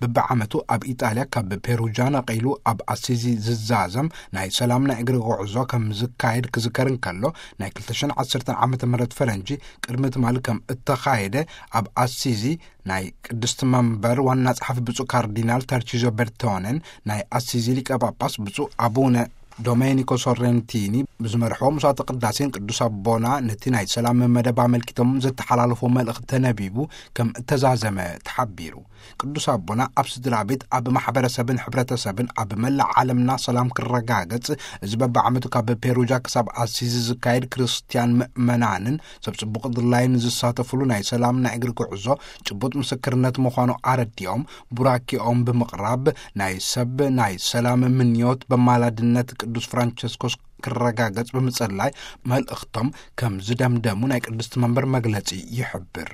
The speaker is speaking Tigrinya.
ብብዓመቱ ኣብ ኢጣልያ ካብ ፔሩጃ ነቒሉ ኣብ ኣሲዚ ዝዛዘም ናይ ሰላም ናይ እግሪ ጉዕዞ ከም ዝካየድ ክዝከር እንከሎ፣ ናይ ክልተ ሽሕን ዓሰርተን ዓመተ ምህረት ፈረንጂ ቅድሚ ትማሊ ከም እተኻየደ፣ ኣብ ኣሲዚ ናይ ቅድስቲ መንበር ዋና ጸሓፊ ብፁዕ ካርዲናል ተርቺዞ በርቶነን ናይ ኣሲዚ ሊቀ ጳጳስ ብፁዕ ኣቡነ ዶሜኒኮ ሶሬንቲኒ ብዝመርሕዎ መስዋዕተ ቅዳሴን ቅዱስ ኣቦና ነቲ ናይ ሰላም መደብ ኣመልኪቶም ዘተሓላለፎ መልእኽቲ ተነቢቡ ከም እተዛዘመ ተሓቢሩ። ቅዱስ ኣቦና ኣብ ስድራ ቤት፣ ኣብ ማሕበረሰብን ሕብረተሰብን ኣብ መላእ ዓለምና ሰላም ክረጋገጽ፣ እዚ በብዓመቱ ካብ ፔሩጃ ክሳብ ኣሲዚ ዝካየድ ክርስትያን ምእመናንን ሰብ ጽቡቕ ድላይን ዝሳተፍሉ ናይ ሰላም ናይ እግሪ ጉዕዞ ጭቡጥ ምስክርነት ምዃኑ ኣረዲኦም፣ ቡራኪኦም ብምቕራብ ናይ ሰብ ናይ ሰላም ምንዮት በማላድነት ቅዱስ ፍራንቸስኮስ ክረጋገጽ ብምጽላይ መልእኽቶም ከም ዝደምደሙ ናይ ቅድስቲ መንበር መግለጺ ይሕብር።